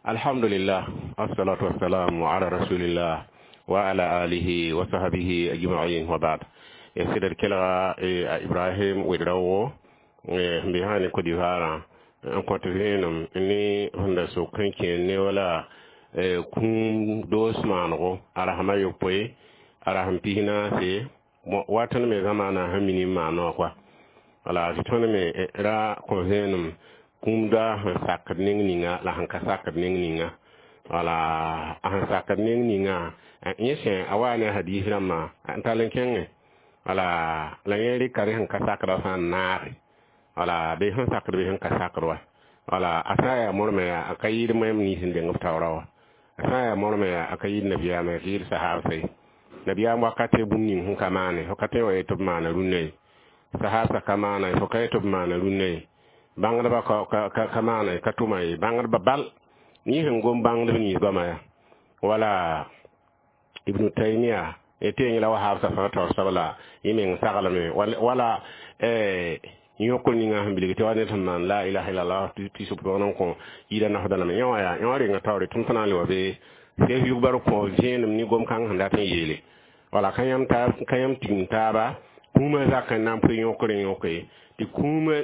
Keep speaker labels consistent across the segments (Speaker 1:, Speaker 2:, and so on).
Speaker 1: Alhamdulillah, assalatu wassalamu ala rasulillah wa ala alihi wa sahbihi ajma'in, wa ba'd. Sɩd d kelga a Ibrahim Ouedraogo sẽn be sã ne Côte d'Ivoire n kõt vẽenem ne sẽn da sok n kẽ ne wala kũum doos maanego a rasem a yopoe, a rasem 14. Wa tõnd me zamaana sẽn mini n maan wã koa. Wala tɩ tõnd me ra kõ vẽenem kũum da sẽn sakd neng ninga la sẽn ka sakd neng ninga. Wala a sẽn sakd neng ninga, yẽ sẽ a wa ne a hadis rãmbã n tall n kẽngẽ. Wala la yẽ rɩka rẽ sẽn ka sakdã sã n naage, wala bɩ sẽn sakd bɩ sẽn ka sakd wa. Wala a sã n yaa mormã yaa a ka yɩɩd moɛm nins n deng b taoora wa. A sã n yaa mormã yaa a ka yɩɩd nabiyaamã, a ka yɩɩd sahaabsã ye. Nabiyaam wakate bũmb ning sẽn ka maane, fo ka tõe wa yet tɩ b maana rũnnã ye. Sahaabsã ka maana ye, fo ka yet tɩ b maana rũnnã ye. Bãngdbã ka maana ye, ka tʋma ye. Bãngdbã bal yẽ sẽn gom bãngdb nins goama yaa wala Ibnu Taymia tɩ yẽ la wahabsã fãa taoor soab la yẽ meng saglame wala yõkr ninga sẽn bilg tɩ wa ned sẽn maan la ilaha illallah tɩ sʋp n kõ yida nasdã lame. Yẽ wã yaa yẽ wã renga taoore tɩ m tɩ na n le wa be sɛf yugbar kõ vẽenem ne gom-kãng sẽn dat n yeele. Wala ka yãmb tigim taaba kũumã zak n na n pʋɩ yõkr n yõke tɩ kũumã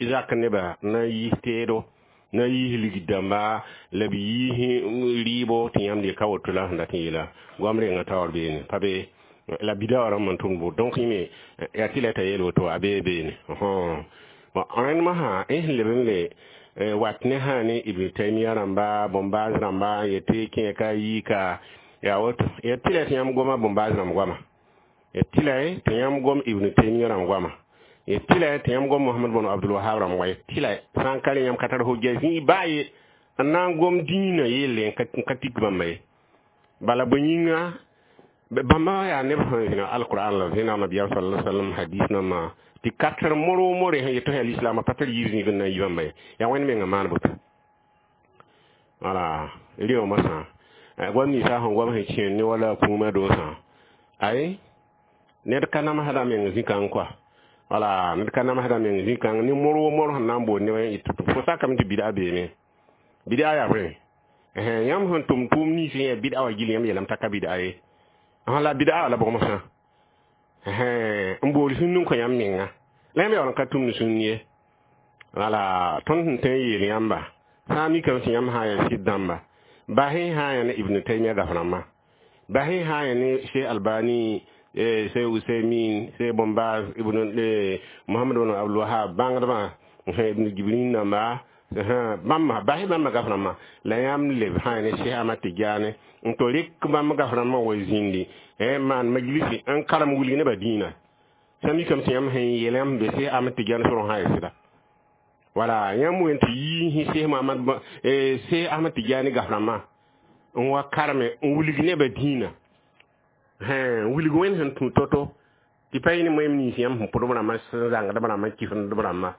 Speaker 1: zak nebã na n yiis teedo, na n yiis ligd dãmba la b yiis rɩɩbo tɩ yãmb ka woto la sẽn dat n yeela goam renga taoor beene pa be la bida wã rãmb n tʋmd bʋ. Donc yẽ me yaa tɩ la t'a yeel woto a bee beene. Bon, rẽnd mosã yẽ sẽn leb n le wat ne sã ne Ibn Taymia rãmba, bõn-baas rãmba n yetɩ kẽ ka yii ka yaa woto. Ya tɩ la tɩ yãmb goma bõn-baas rãmb goama, ya tɩ la tɩ yãmb gom Ibn Taymia rãmb goama, ya tɩ la tɩ yãmb gom Mohamad bn Abdul Wahab rãmb goama, ya tɩ la sã n ka rẽ yãmb ka tar hujja zĩig baa ye n na n gom dĩinã yelle n ka tik bãmba ye. Bala bõe yĩnga bãmba yaa neb sẽn zĩna alquran la zẽna nabiyaam sallallahu alaihi wasallam hadis nãmbã tɩ kater moro more sẽn yetɩ yaa lislaamã pa tar yiib zĩig n na n yi bãmba ye. Yaa Wẽnd mengã maan boto. Wala rɩ mosã goam ninsã sẽn goam sẽn kẽer ne wala kũumã doosã, ay, ned ka namsda meng zĩ-kãng koa. Wala ned ka namsda meng zĩ-kãng ne mor wo mor sẽn na n boond ne fo sakame tɩ bida beeme. Bida yaa bõe? Yãmb sẽn tʋm tʋʋm nins sẽn yaa bida wã gill yãmb yeelame t'a ka bida ye. Sã la bida la bʋg mosã n bool sũnd n kõ yãmb menga la yãmb yaool n ka tʋmd sũnd ye. Wala tõnd sẽn tõe n yeel yãmba sã n mikame tɩ yãmb sã n yaa sɩd dãmba, basẽ sã n yaa ne Ibn Taymia gaf rãmbã, basẽ sã n yaa ne Cheikh Albani, Cheikh Usaymin, Cheikh Bombaz, Ibn Mohamad bn Abdul Wahab, bãngdbã, Ibn Jibrin namba bãmba, basẽ bãmba gaf rãmbã la yãmb leb sã n yaa ne Cheikh Ahmad Tidiane n to rɩk bãmb gaf rãmbã wa zĩndi n maan majlisi n karem wilg nebã dĩinã. Sã mikame tɩ yãmb sẽn yeel yãmb be Cheikh Ahmad Tidiane sorẽ sã n yaa sɩda. Wala yãmb wen tɩ yiis Cheikh Mohamad, Cheikh Ahmad Tidiane gaf rãmbã n wa kareme n wilg nebã dĩinã, wilg Wẽnd sẽn tũ to-to tɩ pa yẽ ne moɛm nins yãmb sẽn pʋdb rãmbã, sẽn zãngdb rãmbã, kifsdb rãmbã.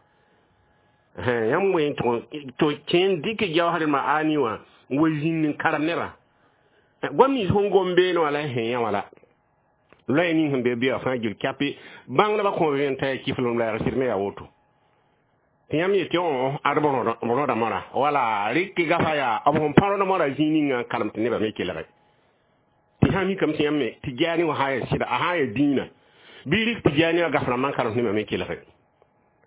Speaker 1: Yãmb wen tɩ kẽ n dɩk jaoosdmã ani wã n wa zĩnd n karem nebã goam nins sẽn gom beene wã la sẽn yã wã la loɛɛ ning sẽn be bɩa fãa gil kyape bãngdbã kõ vẽen t'a yaa kiflem la yaa sɩd me yaa woto tɩ yãmb yetɩ ad b rõda mora. Wala rɩk gafa yaa b sẽn pa rõd mora zĩig ninga n karem tɩ nebã me kelge tɩ sã mikame tɩ yãmb me Tijaani wã sã n yaa sɩda, a sã n yaa dĩinã bɩ rɩk Tijaani wã gaf rãmbã n karem tɩ nebã me kelge.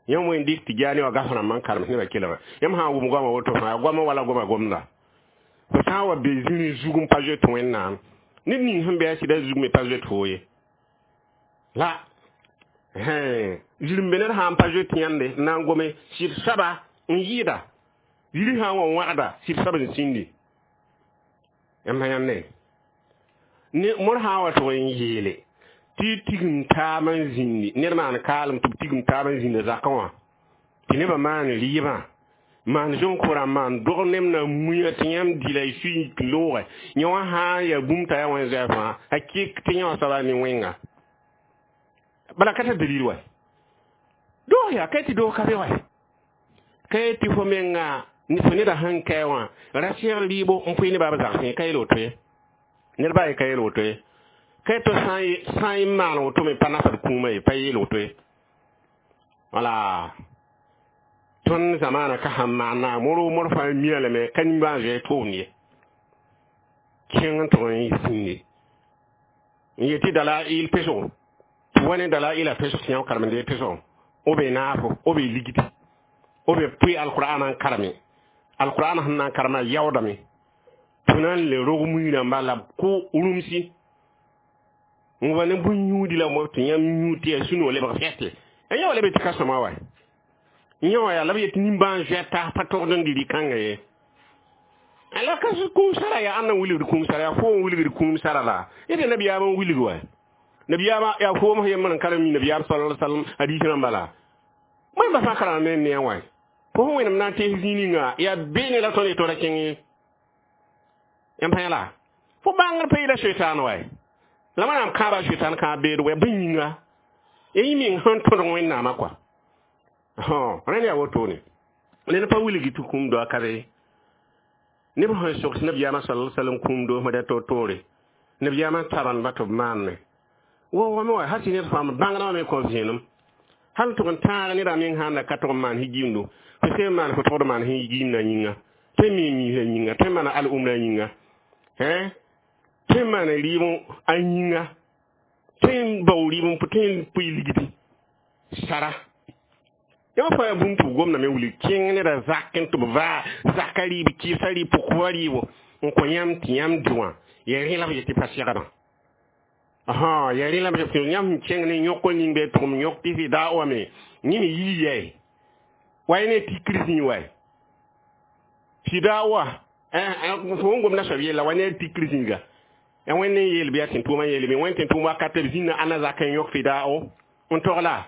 Speaker 1: Yãmb wen dɩk Tijaani wã gaf rãmbã n karem tɩ nebã kelge. Yãmb sã n wʋm goamã woto fãa, goamã wala goamã gomda fo sã n wa be zĩri zug n pa zoet Wẽnnaam ned ning sẽn be a sɩda zug me pa zoet foo ye. La zĩr-n be ned sã n pa zoet yãnde n na n gome sɩd soaba n yɩɩda yiri sã n wa wãgda sɩd soab n sĩndi yãmb sã yãnde ne mor sã n wa tʋg n yeele tɩ tigim taab n zĩndi ned maan kaalem tɩ b tigim taab n zĩnda zakã wã tɩ nebã maan rɩɩbã, maan zõn-kʋrã, maan dog neb na muya tɩ yãmb dɩ la y sui loogɛ yẽ wã sã n yaa bũmb t'a yaa wẽn zoɛɛ fãa a kɩk tɩ yẽ wã soaba ne wẽnga. Bala ka tar dalil wa doog yaa ka tɩ doog ka be wa ka tɩ fo menga fo neda sẽn kae wã ra sɛgl rɩɩbo n pʋɩ nebã b zagsẽ ka yel woto ye. Ned baa ye ka yel woto ye ka tɩ sã n maan woto me pa nasd kũumã ye, pa yeel woto ye. Wala Tõnd zamaana ka sẽn maan naam wor fãa mia lame ka nimbãan-zoeer tʋʋmd ye. Kẽng n tʋg n zĩnde n yet tɩ dalail pesgo tɩ wa ne dalaila pesg tɩ yã karem-dee pesgo b be naafo, b be ligdi, b be pʋɩ alqur'ana n kareme alqur'ana sẽn na n karema yaoodame tɩ na n le rog mui rãmba la b kʋ rũmsi n wa ne bũn-yũudi la tɩ yãmb yũud tɩ yaa sũ-noog lebg fɛte. Yã wa leb tɩ ka sõma wa yã wã yaa la b yet nimbãan-zoɛr tas pa togd n dɩ rɩ-kãnga ye. La ka kũum sara yaa ãnna n wilgd kũum sara yaa fo n wilgd kũum sara la yẽ nabiyaam n wilg wa nabiyaam yaa foom yembr n karem mi nabiyaam sallallahu alaihi wasallam hadis rãmba la wẽmba fãa karema me ne wa fo sẽn wẽnem na n tees zĩig ninga yaa beene la tõnd yetora kẽng ye yãmb pãa la fo bãngr pa yɩla soetaan wa la wẽnnaam kãaba soetaan kãab beed wa bõe yĩnga ya yẽ meng sẽn tõdg wẽnnaamã kɔa rẽnd yaa wotone ned pa wilgi tɩ kũum doa ka be neb sẽn sogs nabiyaamã sallallahu alaihi wasallam kũum doosmã da toor-toore nabiyaamã tabandba tɩ b maanne wa wame wa hal tɩ ned fãa bãngdã wã me kõ vẽenem hal tʋg n tãag nedã meng sãn da ka tʋg n maan higiimdo fo sẽn maan fo tʋgd maan higiimdã yĩnga tõe n mi miisã yĩnga tõe n maana al-umrã yĩnga tõe n maana rɩɩb a yĩnga tõe n bao rɩɩb n tõe n pʋɩ ligdi sara yã fãa bũmb tɩ b gomdame wilg kẽng nedã zak n tɩ b vaa zaka rɩɩb kɩɩsa rɩɩb pʋkba rɩɩbo n kõ yãmb tɩ yãmb dɩ wã ya rẽ la b yet tɩ pa segdã ya rẽ la b tɩ yãmb sẽn kẽng ne yõk ning bɩ tʋgem yõk tɩ fɩ daa wame yẽ me yii yɛɛ wa ne tikr zĩig wa fɩ daa wa fo n gomda soab yella wa ne tikr zĩiga ya wẽnd n yeel bɩ yaa tẽn-tʋʋmã yeele bɩ wẽnd tẽn-tʋʋm wakat b zĩnã ãnna zak n yõk fɩ daao n togla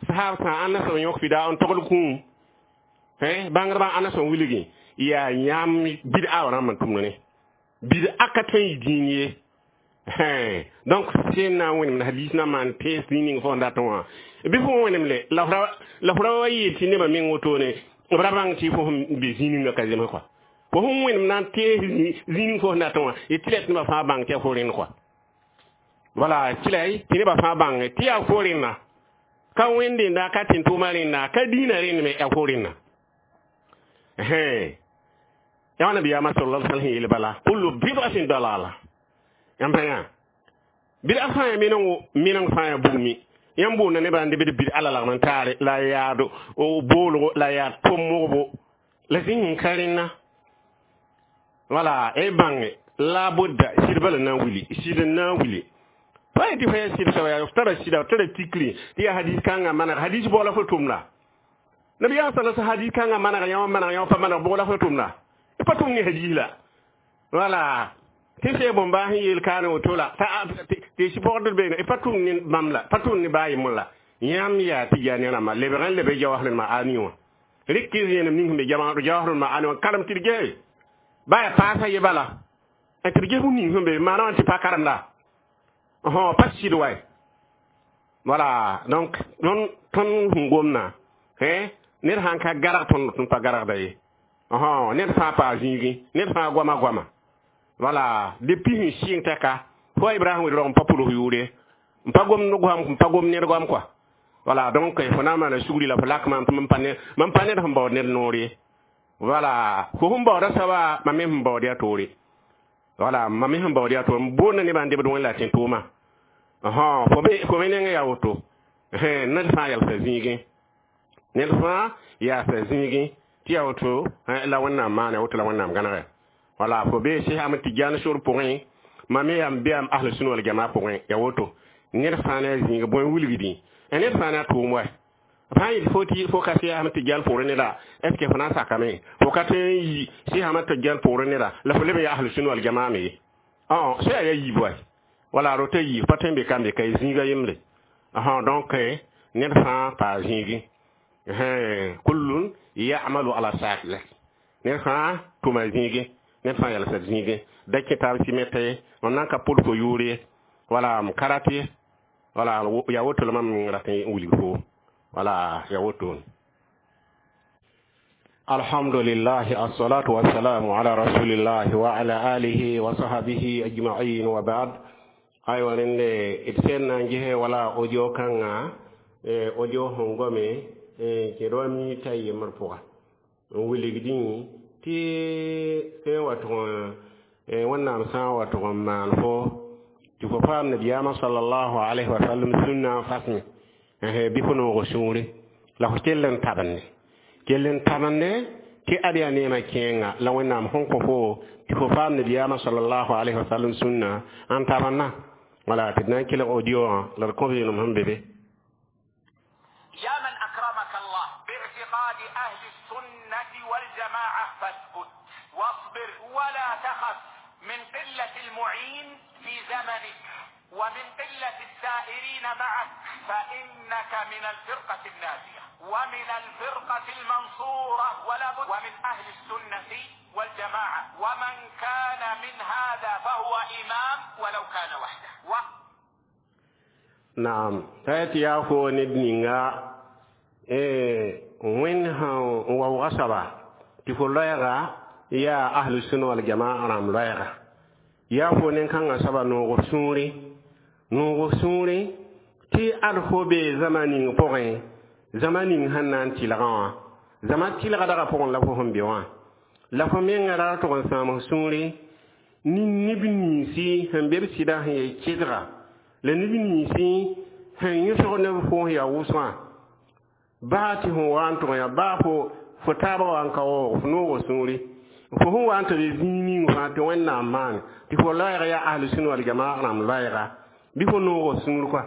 Speaker 1: sahab sã ãnna sẽn yõk fɩ daa n togl kũum bãngdbã ãnna sẽn wilgi yaa yãmb bid'a wã rãmb n tʋmd ne bid'a ka tõe n yɩ dĩin ye. Donc sẽn na n wẽnemd hadis na maan tees ning fo n dat wã bɩ fo wẽnem le la f ra wa yeel tɩ nebã meng wotone b ra bãng tɩ fo sẽn be zĩ ninga ka zems kɔa fo sẽn wẽnem na n tees zĩ ning fo sẽn dat wã y tɩ la tɩ nebã fãa bãng tɩ yaa fo rẽnd kɔa wala tɩ la tɩ nebã fãa bãng tɩ yaa fo rẽnna ka wẽndenda ka tẽn-tʋʋmã rẽnna ka dĩinã rẽnd me yaa fo rẽnna yaa nabiyaamã sallallahu alaihi wasallam yeel bala kullu bid'atin dalala yãmb pa yã bid'a fãa ya meneng fãa ya bugmi yãmb boonda nebã n debd bid'a la lagm n taare la yaad boolgo la yaa tʋm-mogbo la zĩng n ka rẽnna wala y bãnge la budda sɩd bala na n wili sɩd n na n wili pa yetɩ fo yaa sɩd soaba yaa f tara sɩda f tara tikri tɩ yaa hadis kãngã maneg hadis bʋg la fo tʋmda nabiyaam sala sa hadis kãngã maneg yã wã maneg yã wã pa maneg bʋg la fo tʋmda pa tʋm ne hadis la wala tɩ sẽn bõmba sẽn yeel kaane woto la tɩ sɩ pɔgdr beene pa tʋm ne bãmb la pa tʋm ne baa yembr la yãmb yaa tɩ yaa ne rãmba lebg n leb jawasr ma'ani wã rɩk zẽenem ning sẽn be jawasr ma'ani wã karem tɩ d gese ba yaa paasa ye bala tɩ d ges bũmb ning sẽn be maana wã tɩ pa karemda pa sɩd wa voilà. Donc tõnd sẽn gomna ned sãn ka garg tõnd tõnd pa gargda ye ned fãa paa zĩigẽ ned fãa goama goama voilà. Depuis sẽn sɩng tɛka fo Ibrahim wed-rog n pa pʋls yʋʋre n pa gomd goam n pa gom ned goam kɔa voilà. Donc fo na n maana sugri la fo lak maam tɩ mam pa ned sẽn baood ned noor ye voilà. Fo sẽn baooda soaba mam me sẽn baood yaa toore voilà, mam me sẽn baood yaa toore m boonda nebã n debd wẽn la tẽn-tʋʋmã fo me nengẽ yaa woto ned fãa yalsa zĩigẽ ned fãa yaasa zĩigẽ tɩ yaa woto la wẽnnaam maana woto la wẽnnaam gãnegɛ wala fo be Cheikh Ahmad Tidiane sor pʋgẽ mam me yaa n be am ahl sunna wal jamaa pʋgẽ yaa woto ned fãa ne a zĩig bõe wilgdẽ ned fãa ne a tʋʋm wa fãa yetɩ fo tɩ fo ka Cheikh Ahmad Tidiane pʋgrẽ neda est ce que fo na n sakame fo ka tõe n yi Cheikh Ahmad Tidiane pʋgrẽ neda la fo leb n yaa ahl sunna wal jamaa me ye sã yaa yiib wa wala rota yiib pa tõe n be kambe ka y zĩiga yembre donc ned fãa paa zĩigẽ kullun ya'malu ala shakila ned fãa tʋma zĩigẽ ned fãa yalsd zĩigẽ da kẽ taab sɩmɛta ye mam na n ka pʋd fo yʋʋr ye wala m ka rat ye wala yaa woto la mam rat n wilg fo wala yaa woto. Alhamdulillah, assalatu wassalamu ala rasulillah wa ala alihi wa sahbihi ajma'in wa ba'd. Aywa rẽnde d sẽn na n ges wala audio kãnga audio sẽn gome. kẽed wa mita yembr pʋga n wilgdẽ tɩ sẽn wa tʋg wẽnnaam sã n wa tʋg n maan fo tɩ fo paam nabiyaamã salallahu alayhi wa sallam sũnna n fasme bɩ fo noog sũure la fo kell n tabende kell n tabende tɩ ad yaa neemã kẽenga la wẽnnaam sẽn kõ fo tɩ fo paam nabiyaamã salallahu alayhi wa sallam sũnna n tabenna wala tɩ d na n kelg audio wã la d kõ vɩɩnem sẽn be be.
Speaker 2: يا من أكرمك الله باعتقاد أهل السنة والجماعة، فاثبت واصبر ولا تخف من قلة المعين في زمنك ومن قلة السائرين معك، فإنك من الفرقة الناجية ومن الفرقة المنصورة ولا بد، ومن أهل السنة والجماعة، ومن كان من هذا فهو إمام ولو كان وحده.
Speaker 1: نعم، تأتي يا أخو ندنينا وين هو وغصبا تفو لويغا يا أهل السنة والجماعة رام لويغا يا أخو نكان سبا نوغ سوري نوغ سوري تي أدخو بي زمانين بوغي زمانين هنان تلغا زمان تلغا دغا بوغن لفو هم بيوان لفو مين غرار تغن سامو سوري ni neb ninsi sẽn be b sɩda sẽn yaa kɩdga la neb ninsi sẽn yõsg neb fo yaa wʋsgã baa tɩ fõ wa n tʋg yã baa fo taabã wa n ka waoog fo noogã sũuri fo sẽn wa n tɩ be zĩig ning fãa tɩ Wẽnnaam maan tɩ fo loɛɛg yaa ahlu sũn wal jamaa rãmb loɛɛga bɩ fo noogã sũur kɔa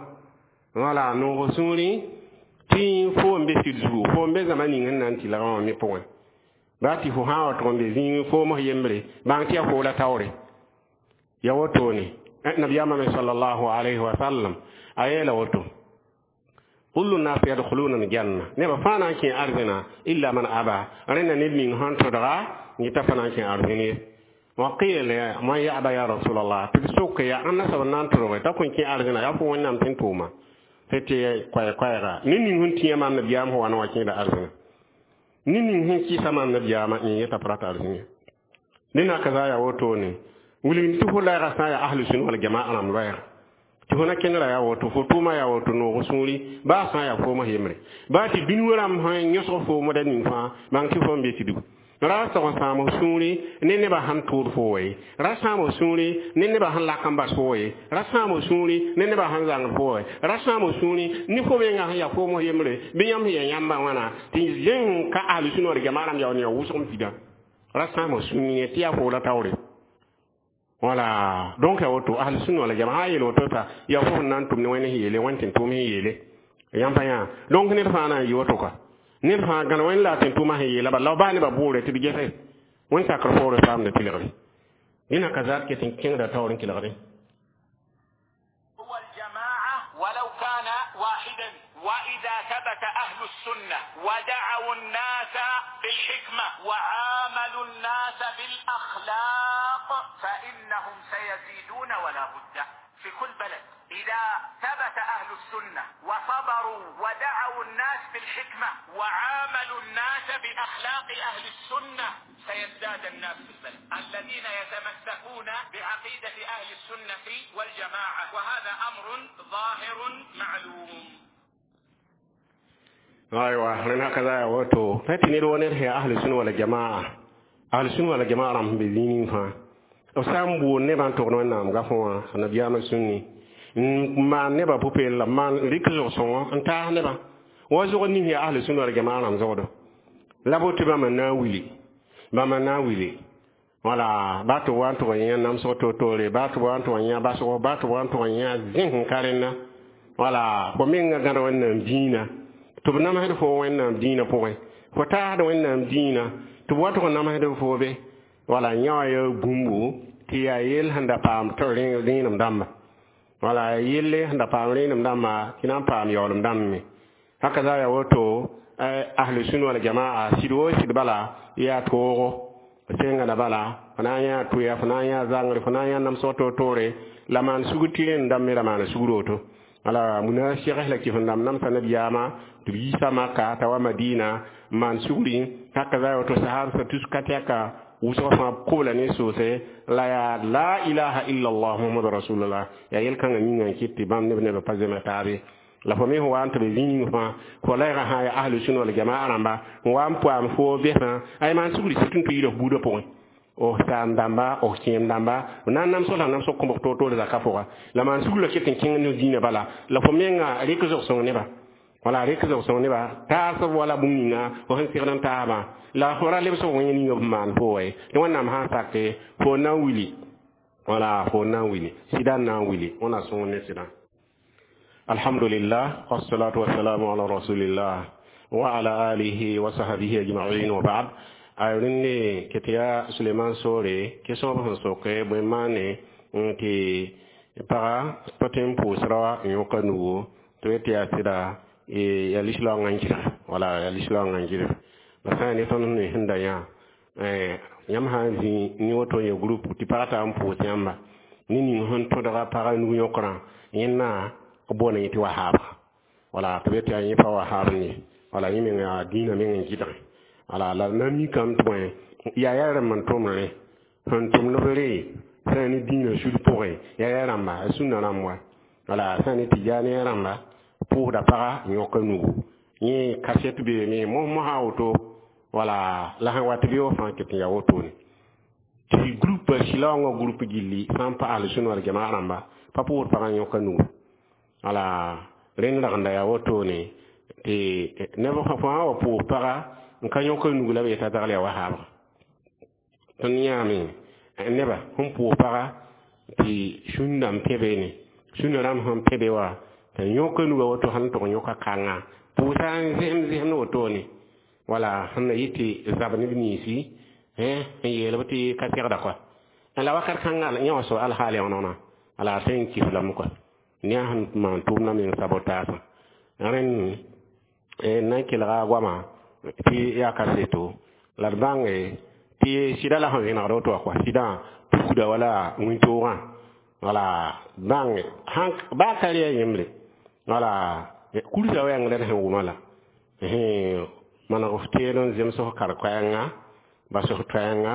Speaker 1: wala noogã sũuri tɩ fo n be sɩd zugu fo n be zãma ning sẽn na n tɩlgã wã me pʋgẽ baa tɩ fo sã n wa tʋg n be zĩig fooms yembre bãng tɩ yaa fo la taoore ya wotone nabiyaamã me sallallahu alayhi wa sallam a yeela woto kullu nas yadkhuluna aljanna neba fãa na n kẽ arzẽna illa man aba rẽnda ned ning sẽn tõdga yeta fã na n kẽ arzẽn ye wa qila man yaba ya rasulallah tɩ b sok ya ãnna soab n na n tõdge t'a kõn kẽ arzẽna yaa fo Wẽnnaam sẽn tʋʋma tɩ tɩ koɛɛ-koɛɛga ned ning sẽn tĩyã maam nabiyaam sẽn wa n wa kẽeda arzẽna ned ning sẽn kɩɩsa maam nabiyaamã yẽ yeta p rata arzẽn ye dẽna ka za yaa wotone wilgd tɩ fo loɛɛgã sã n yaa ahlu sũn wal jamaa rãmb loɛɛga tɩ fo na kẽnera yaa woto fo tʋʋma yaa woto noog sũuri baa sã n yaa foomã yembre baa tɩ dũni rãmb sẽn yõsg foomda ning fãa bãng tɩ fo n be tɩ ra sag n sãam sũuri ne nebã sẽn tʋʋd fo ye ra sãam sũuri ne nebã sẽn lak n bas fo ye ra sãam sũuri ne nebã sẽn zãngd fo ye ra sãam sũuri ne fo menga sẽn yaa foomã yembre bɩ yãmb sẽn yaa yãmba wãna tɩ zẽng ka ahlu sũn wal jamaa rãmb yaool n yaa wʋsg n pida ra sãam sũuri tɩ yaa fo la taoore wala donc ya woto ahlu sunna wal jamaa yel woto ta ya fo nan tum ne wani yele wani tin tum yele yam pa ya donc ne fa na yi woto ka ne fa gan wani la tin tuma yele ba la ba ne ba bore ti gese wani sakar fo re fam ne tilgri ina kaza ke tin kin da tawrin kilgri.
Speaker 2: هو الجماعة ولو كان واحدا. وإذا ثبت أهل السنة ودعوا الناس بالحكمة وعاملوا الناس بالأخلاق فإنهم سيزيدون ولا بد في كل بلد. إذا ثبت أهل السنة وصبروا ودعوا الناس بالحكمة وعاملوا الناس بأخلاق أهل السنة سيزداد الناس في البلد الذين يتمسكون بعقيدة أهل السنة والجماعة، وهذا أمر ظاهر معلوم.
Speaker 1: أيوة لأن هكذا woto tɩ ned wa ned sẽn yaa ahlu sũn wala jamaa ahlu sũn wala jamaa rãmb sẽn be zĩig ning fãa b sã n boond nebã n togd Wẽnnaam gafõ wã nabiyaamã sũnni n maan nebã pʋ-peelem la maan rɩk zog-sõngõ n taas nebã wa zog ning yaa ahlu sũn wala jamaa rãmb zogdo la bote bãmba na n wili bãmba na n wili wala ba tɩ wa n tʋg n yã namsg to-toore ba tɩ wa n tʋg n yã basgo ba tɩ wa n tʋg n yã zẽs n ka rẽnna wala fo menga gãd Wẽnnaam dĩinã tɩ b namsd fo Wẽnnaam dĩinã pʋgẽ fo taasd Wẽnnaam dĩinã tɩ b wa tʋg n namsd fo be wala yã wã yaa bũmbu tɩ yaa yell sẽn da paam rẽenem dãmba wala yelle sẽn da paam rẽenem dãmba tɩ na n paam yaoolem dãmb me haka za yaa woto ahlu sũn wal jamaa sɩd wo sɩd bala yaa toogo senga da bala fo na n yã tʋya fo na n yã zãngre fo na n yã namsg to-toore la maan sugr tɩ rẽnd dãmb me ra maana sugr woto wala muna segs la kɩf n dãmb namsa nabiyaamã tɩ b yiisa Maka t'a wa Madina n maan sugri haka za woto sahabsã tus ka tɛka wʋsg fãa kobla ne soose la yaa la ilaha illallah Muhammadu rasulullah yaa yel-kãngã yĩngã n kɩt tɩ bãmb neb nebã pa zems taabe. La fo me sẽn wa n tɩ b zĩ ning fãa fo la yaa sã yaa ahlu sũna wal jamaa rãmba n wa n poam fo bɛsã ay maan sugri sɩd n tɩ yɩɩd f buudã pʋgẽ f saam dãmba f kẽem dãmba f na n namsg la namsg kõbg toor-toor zaka pʋga la maan sugr la ket n kẽng ne dĩinã bala la fo menga rɩk zog-sõng neba wala rɩk zog-sõng neba taasb wala bũmb ninga fo sẽn segd n taabã la fo ra lebsg wẽng ninga f maan fo wa ye tɩ Wẽnnaam sã n sake fo na n wili wala fo na n wili sɩda n na n wili wẽna sõor ne sɩdã. Alhamdulillah, wassalatu wassalamu ala rasulillah wa ala alihi wa sahbihi ajma'in, wa ba'd. Ay rẽnde ket yaa Suleman soore kesõb sẽn soke bõe maane tɩ paga pa tõe n pʋʋsra n yõka nugu tɩ b tɩ yaa sɩda yaa lislaoongã n gɩdg wala yaa lislaoongã n gɩdg la sã n ne tõnd sẽn da yã yãmb sã n zĩ ne woto n ya group tɩ paga tar n pʋʋs yãmba ne ning sẽn tõdga paga nug yõkrã yẽnna b boonda yẽ tɩ wahaaba wala tɩ b tɩ yaa yẽ pa wahaab ne wala yẽ meng yaa dĩinã meng n gɩdge wala la na mikame tɩ bõe yaa yaa rãmb n tʋmd rẽ sẽn tʋmd b re sã n ne dĩinã sud pʋgẽ yaa yaa rãmba a sũnna rãmb wa wala sã n ne Tɩjaani rãmba pʋʋsda paga n yõka nugu yẽ kaset beeme mos-mosã woto wala la sẽn wat beoog fãa ket n yaa wotone tɩ groupe silaoongã groupe gilli sã n pa ahlu-sũna wal jamaa rãmba pa pʋʋsd pagã n yõka nugu wala rẽnd ragenda yaa wotone tɩ neb fãa wa pʋʋs paga n ka yõka nugu la b yeta dagl yaa wahaabga tõnd yãame neba sẽn pʋʋs paga tɩ sũnda n pẽ beene sũnda rãmb sẽn pẽ be wa t'a yõka nuga woto sãn tʋg yõka kãnga pʋʋsa n zẽsem zẽsemd wotone wala sẽn na yɩ tɩ zab neb ninsi n yeelb tɩ ka segda kɔa la wakat kãnga yẽ wã soab alhaal yõnegna ala a tõe n kis lame kɔa ne a sẽn maan tʋʋmdã meng sabotaasã rẽnd n na n kelga a goamã tɩ yaa kaseto la d bãnge tɩ sɩda la sẽn vẽnegd woto wã kɔa sɩdã pukda wala wĩntoogã wala bãnge baa ka rɩ a yẽmbre wala kursa wɛɛng la d sẽn wʋma la maneg f teed n zems f kar-koɛɛnga bas f toɛɛnga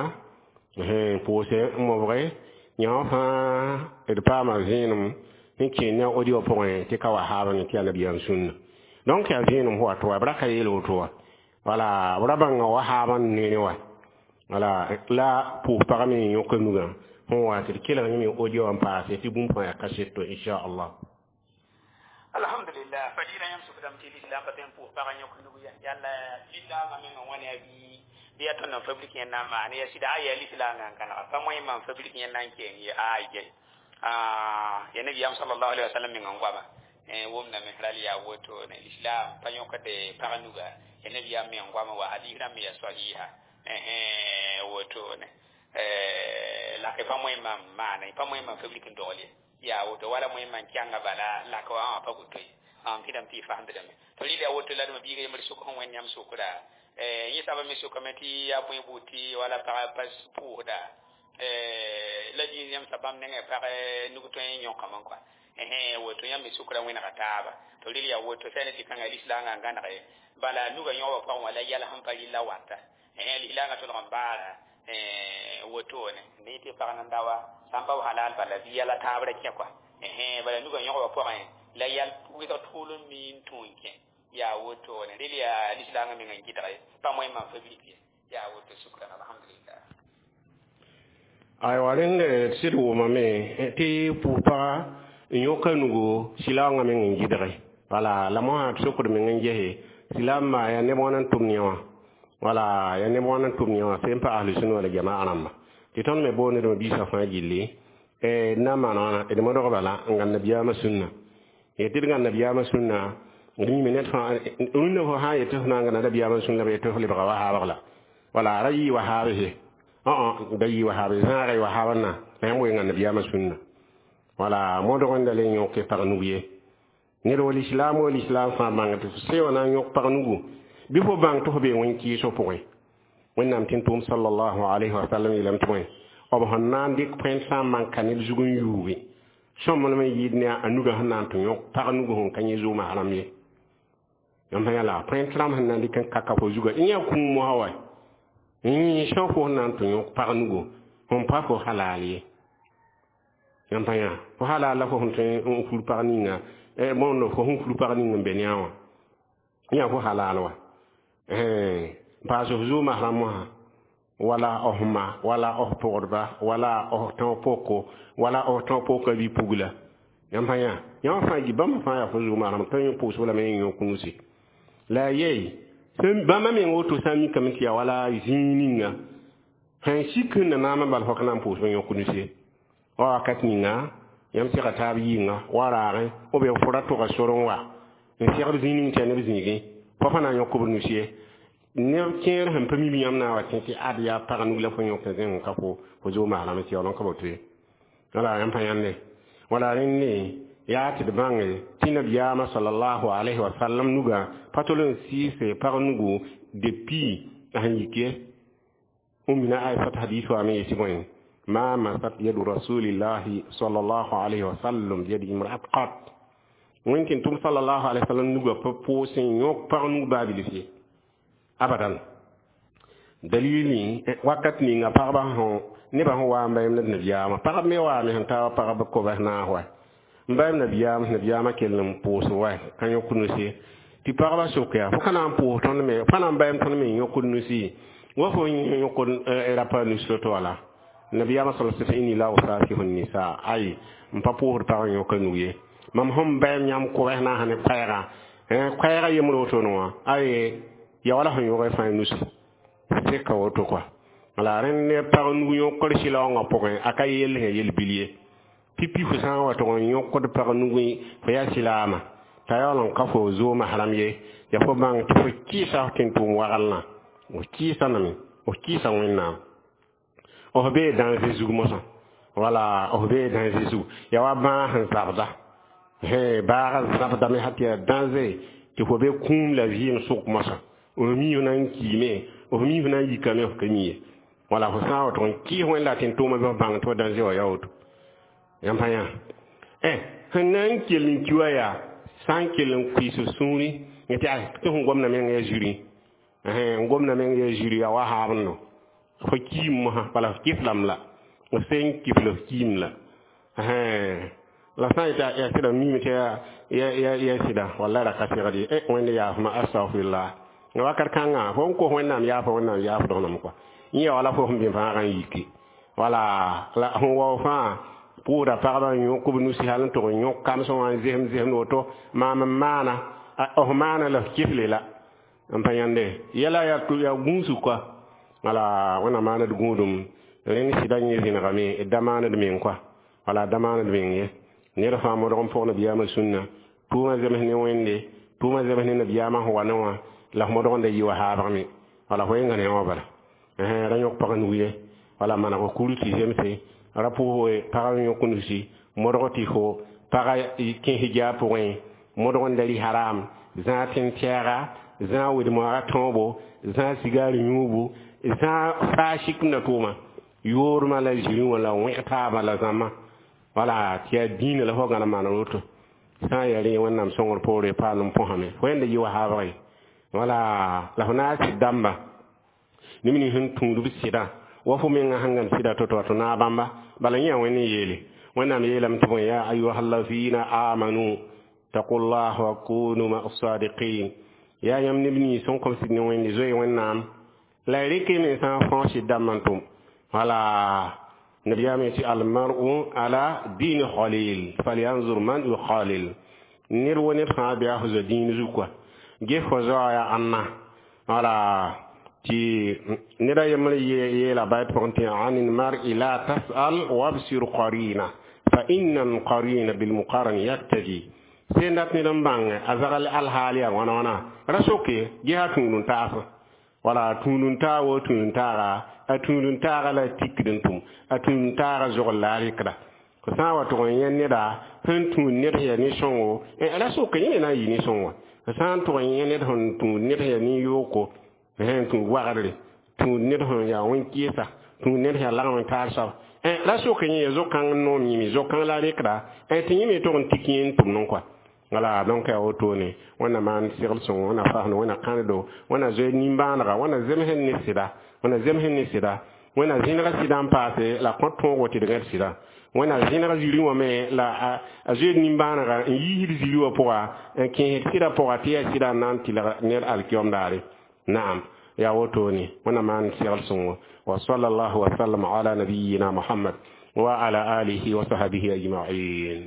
Speaker 1: pʋʋse n mobge yã wã fãa d paama vẽenem n kẽe ne a audio pʋgẽ tɩ ka wa haab ne tɩ yaa nabiyaam sũnna donc yaa vẽenem fo wato wa b ra ka yeel woto wa wala b ra bãnga wa haab n neene wa wala la pʋʋs pagã me n yõka nugã sẽn wa tɩ d kelg yẽ me audio wã n paase tɩ bũmb fãa yaa kaseto inchallah.
Speaker 3: Alhamdulillah, fadila yãmb sʋkdame tɩ lislam pa tõe n pʋʋs pagã yõk nug ya yalla lislaamã meng n wãne a bii bɩ yaa tõnd n fabrik yẽnda n maan ya sɩda a yaa lislaangã n kãnega pa moẽ mam fabrik yẽnda n keng ye ay ya nabiyaam sallallahu alaihi wasallam meng n goama wʋmdame ral yaa woto ne lislam pa yõkde pag nuga ya nabiyaam meng goama wa hadis rãmb ya sahiha woto ne la ke pa moẽ mam maana pa moẽ mam fabrik n dogl ye yaa woto wala moẽ man kẽnga bala laka wã wã pa woto ye am tɩ dãmb tɩ y fasemdame to rɩla yaa woto la d ma biiga yembr sʋk sẽn wẽnd yãmb sʋkra yẽ saba me sʋkame tɩ yaa bõe buud tɩ wala pagã pa pʋʋsda la dĩin yãmb sa bãmb nengẽ pag nug tõe n yõkame kɔa woto yãmb me sʋkra wẽnega taaba to rɩl yaa woto sã ne tɩ kãnga lislaangã n gãnege bala nugã yõoba pʋgẽ wã la yɛl sẽn pa rɩlla wata lislaangã tõlg n baara wotone ne tɩ pag nan dawa sã n pa halal bala bɩ yɛla taab ra kẽ kɔa bala nugã yõgba pʋgẽ la yɛl wɩsg tʋʋl n mi n tũ n kẽ yaa wotone rɩl yaa lislaangã meng n gɩdge pa moẽ mam fabrik ye yaa woto sukran alhamdulillah.
Speaker 1: Aywa rẽnd sɩd wʋmame tɩ pʋʋs paga n yõka nugu silaoongã meng n gɩdge wala la mosã d sokd meng n gese silaambã yaa neb wãn n tʋm yẽ wã wala yaa neb wãn n tʋm yẽ wã sẽn pa ahlu sũna wala jamaa rãmba tɩ tõnd me booned biisã fãa gilli d na n maan wãna d modg bala n gãn nabiyaamã sũnna tɩ d gãn nabiyaamã sũnna d yĩme ned fãa rũnnã fo sã n yetɩ f na n gãnda nabiyaamã sũnna b yetɩ f lebga wahaabg la wala ra yɩ wahaabse da yɩ wahaab zãaga y wahaabã la yãmb wenga nabiyaamã sũnna wala modg n da le yõke pag nug ye ned wal islam wal islam fãa bãng tɩ f seoã na n yõk pag nugu bɩ fo bãng tɩ fo bee wẽn-kɩɩsg pʋgẽ Wẽnnaam tɩ n tʋʋm sallallahu alayhi wa sallam yeelame tɩ bõe b sẽn na n dɩk põent sã n man ka ned zug n yuuge sõmblem n yɩɩd ne a nugã sẽn na n tɩ yõk pag nugu sẽn ka yẽ zʋʋmã rãmb ye yãmb sã yãla põent rãmb sẽn na n dɩk n kaka fo zugã yẽ yaa kũum mosã wa yẽ sã fo sẽn na n tɩ yõk pag nugu sẽn pa fo halal ye yãmb sã yã fo halal la fo sẽn tõe n fur pag ninga Bõnd fo sẽn fur pag ning n be ne a wã yã fo halal wa n paas f zooma rãmb wã wala f ma wala f pʋgdba wala f tão poko wala f tão poka bi-pugla yãmb sã yã yãmb fãa yi bãmb fãa yaa fo zooma rãmb tõe n pʋʋsb lame n yõk nusi la a yey bãmba meng woto sã n mikame tɩ yaa wala zĩig ninga sẽn sik sẽn na naam n bal fo ka na n pʋʋsb n yõk nusi ye wa wakat ninga yãmb sega taab yɩnga wa raagẽ b fo ra tʋga sor n wa n segd zĩig ning tɩ yaa neb zĩigẽ fo fa na n yõk b nus ye neb kẽer sẽn pa mi yãmb na n wa tẽ tɩ ad yaa pag nug la fo yõk zẽng ka fo zooma rãmb tɩ yaool n ka boto ye wala yãmb pa yãnde wala rẽnde yaa tɩ d bãnge tɩ nabiyaamã salallahu alayhi wa sallam nugã pa tol n sɩɩse pag nugu depuis a sẽn yik ye ummina aisat hadis wa me yetɩ bõe ma masat yadu rasulillahi sallallahu alayhi wa sallam biyadi imra'at qat wẽn tɩ tʋm sallallahu alayhi wa sallam nugã pa pʋʋs n yõk pag nug baa bilf ye abadan dalili wakat ninga pagba sẽn nebã sẽn wa n bayam nabiyaamã pagb me waame sẽn taa wa pagb kobs naas wa n bayam nabiyaamã kell n pʋʋs wa ka yõk nusi tɩ pagba sok yaa fo ka na n pʋʋs tõnd me fa na n bayam tõnd me n yõkd nusi wa fo yõkd rapa nus to wala nabiyaamã sal sã inni la usafihu nisa ay n pa pʋʋsd pag n yõka nug ye mam sẽn bayam yãmb kobs naasã ne koɛɛga koɛɛga yembr wotone wã ay ya wala sẽn yõg fãa nus seka woto kɔa la rẽnd ne pag nug yõkr sɩlaoongã pʋgẽ a ka yell sẽn yel-bil ye pipi fo sã n wa tʋg n yõkd pag nugẽ fo yaa sɩlaama t'a yaool n ka fo zooma rãmb ye ya fo bãng tɩ fo kɩɩsa f tẽn-tʋʋm waglã f kɩɩsa name f kɩɩsa Wẽnnaam f bee dãnze zug mosã wala f bee dãnze zug ya wa bãag sẽn zabda baaga zabdame sã tɩ yaa dãnze tɩ fo be kũum la vɩɩm sʋk mosã f mi f na n kiime f mi f na n yikame f ka mi ye wala fo sã n wa tʋg n kɩɩs wẽnd la tẽn-tʋʋmã bɩ f bãng tɩ fo dãnze wã yaa woto yãmb sã yã sẽn na n kell n ki wa yaa sã n kell n kuiis f sũuri tɩ tɩ sẽn gomda meng yaa zuri n gomda meng yaa zuri yaa wa haabno fo kiim mosã bala f kɩflame la f sẽn kifl f kiim la la sã n yetɩ yaa sɩda mime tɩ yaa sɩda wallay ra ka segd ye Wẽnd yaafma astagfirullah wakat kãngã fo n kos Wẽnnaam yaafa Wẽnnaam yaafdg kɔa yẽ ya wala fo sẽn bẽ fãagã n yiki wala la sẽn wao fãa pʋʋsda pagba n yõk b nusi hal n tʋg n yõk kamsẽ wã n zesem zesemd woto maam n maana f maana la f kifle la n pa yãnde yɛla yaa gũusg kɔa wala Wẽnnaam maaned gũudum rẽnd sɩda yẽ zẽnegame d da maaned meng kɔa wala da maaned meng ye ned fãa modg n pʋg nabiyaamã sũnna tʋʋmã zems ne Wẽnde tʋʋmã zems ne nabiyaamã sẽn wa ne wã la f modg n da yɩ wa haabgame wala fo yẽnga ne wã bala ra yõk pag nug ye wala maneg f kuru tɩ zemse ra pʋʋs pag n yõk nusi modg tɩ fo paga kẽ hijab pʋgẽ modg n da rɩ haram zãag tẽn-tɛɛga zãag wed-moaga tõobo zãag sigaar yũubu zãag faa sik n da tʋʋma yoormã la zirẽ wã la wẽg taabã la zãmba wala tɩ yaa dĩinã la fo gãd n maan woto sã n yaa rẽ Wẽnnaam sõngr poore paal n põsame fo yẽnda yɩ wa haabg wala la fo na n sɩd dãmba neb nins sẽn tũud b sɩdã wa fo menga sẽn gãn sɩda to-to tɩ naag bãmba bala yẽ yaa Wẽnd n yeele Wẽnnaam yeelame tɩ bõe ya ayuha allazina amanu taqullah wa kunu ma sadiqin yaa yãmb neb nins sẽn kõm sɩd ne Wẽnde zoe Wẽnnaam la y rɩk y mensã n fãoo sɩd dãmbã n tʋm wala nabiyaam yetɩ almar'u ala dini khalil falyanzur man yukhalil ned wo ned fãa bɩ a fo zoa dĩin zug kɔa ges fo zoa yaa ãnna wala tɩ ned a yembr yeela bayt pʋgẽ tɩ an mar'i la tas'al wabsir qarina fa inna alqarina bilmuqaran yaktadi sẽn dat ned n bãng a zagal alhaal yaa wãna wãna ra soke gesa tũud n taas wala tũud n taa wo tũud n taaga a tũud n taaga la tikd n tʋm a tũud n taaga zogl la a rɩkda fo sã n wa tʋg n yẽ neda sẽn tũud ned sẽn yaa nin-sõngo ra soke yẽ me na n yɩ nin-sõng wã fo sã n tʋg n yẽ ned sẽn tũud ned sẽn yaa nin-yooko sẽn tũud wagdre tũud ned sẽn yaa wẽn-kɩɩsa tũud ned sẽn yaa lagm n taar soab ra soke yẽ yaa zo-kãng n noom yĩme zo-kãng la rɩkda tɩ yẽ me tʋg n tik yẽ n tʋmd n kɔa wala donc yaa wotone Wẽnna maan segl sõngo Wẽnna fasendo Wẽnna kãnedo Wẽnna zoe nimbãanega Wẽnna zemsẽ ne sɩda Wẽnna zemsẽ ne sɩda Wẽnna zẽnega sɩdã n paase la kõt tõogo tɩ d gãd sɩda. Wẽnna zẽnega zĩri wã me la a zoeed nimbãanega n yiisd zĩri wã pʋga n kẽesd sɩdã pʋga tɩ yaa sɩdã n na n tɩlg ned alkiom daare. Naam, yaa wotone. Wẽnna maan segl sõngo. Wa sallallahu wa sallam ala nabiyina Muhammad wa ala alihi wa sahbihi ajma'in.